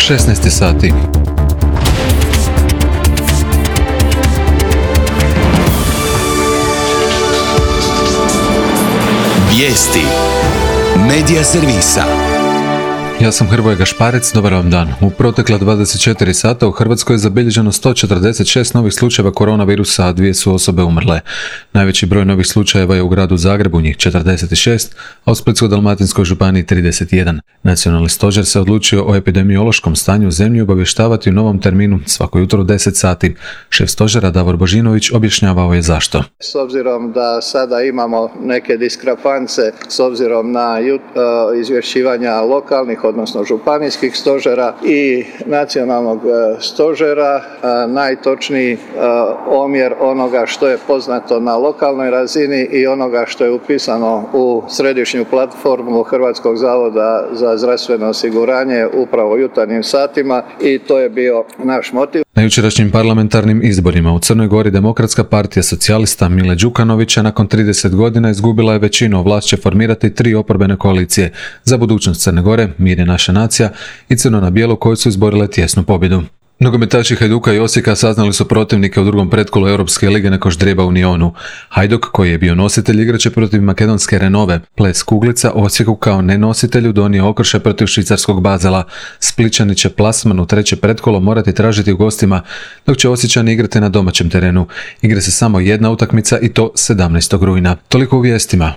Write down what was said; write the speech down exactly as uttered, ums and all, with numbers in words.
šesnaest sati. Vijesti Medija servisa. Ja sam Hrvoje Gašparec, dobar vam dan. U protekla dvadeset četiri sata u Hrvatskoj je zabilježeno sto četrdeset šest novih slučajeva koronavirusa, a dvije su osobe umrle. Najveći broj novih slučajeva je u gradu Zagrebu, njih četrdeset šest, a u Splitsko-dalmatinskoj županiji trideset jedan. Nacionalni stožer se odlučio o epidemiološkom stanju u zemlji obavještavati u novom terminu svako jutro u deset sati. Šef stožera Davor Božinović objašnjavao je zašto. S obzirom da sada imamo neke diskrepance s obzirom na jut, uh, izvješćivanja lokalnih odnosno županijskih stožera i nacionalnog stožera, najtočniji omjer onoga što je poznato na lokalnoj razini i onoga što je upisano u središnju platformu Hrvatskog zavoda za zdravstveno osiguranje upravo u jutarnjim satima i to je bio naš motiv. Na jučerašnjim parlamentarnim izborima u Crnoj Gori Demokratska partija socijalista Mile Đukanovića nakon trideset godina izgubila je većinu, vlast će formirati tri oporbene koalicije za budućnost Crne Gore, Mir je naša nacija i Crno na bijelo koje su izborile tjesnu pobjedu. Nogometaši Hajduka i Osijeka saznali su protivnike u drugom pretkolu Europske lige nakon ždrijeba u Nionu. Hajduk, koji je bio nositelj, igraće protiv makedonske Renove. Ples Kuglica Osijeku kao nenositelju donio okršaj protiv švicarskog Bazela. Splićani će plasman u treće pretkolo morati tražiti u gostima, dok će Osječani igrati na domaćem terenu. Igra se samo jedna utakmica i to sedamnaestog rujna. Toliko u vijestima.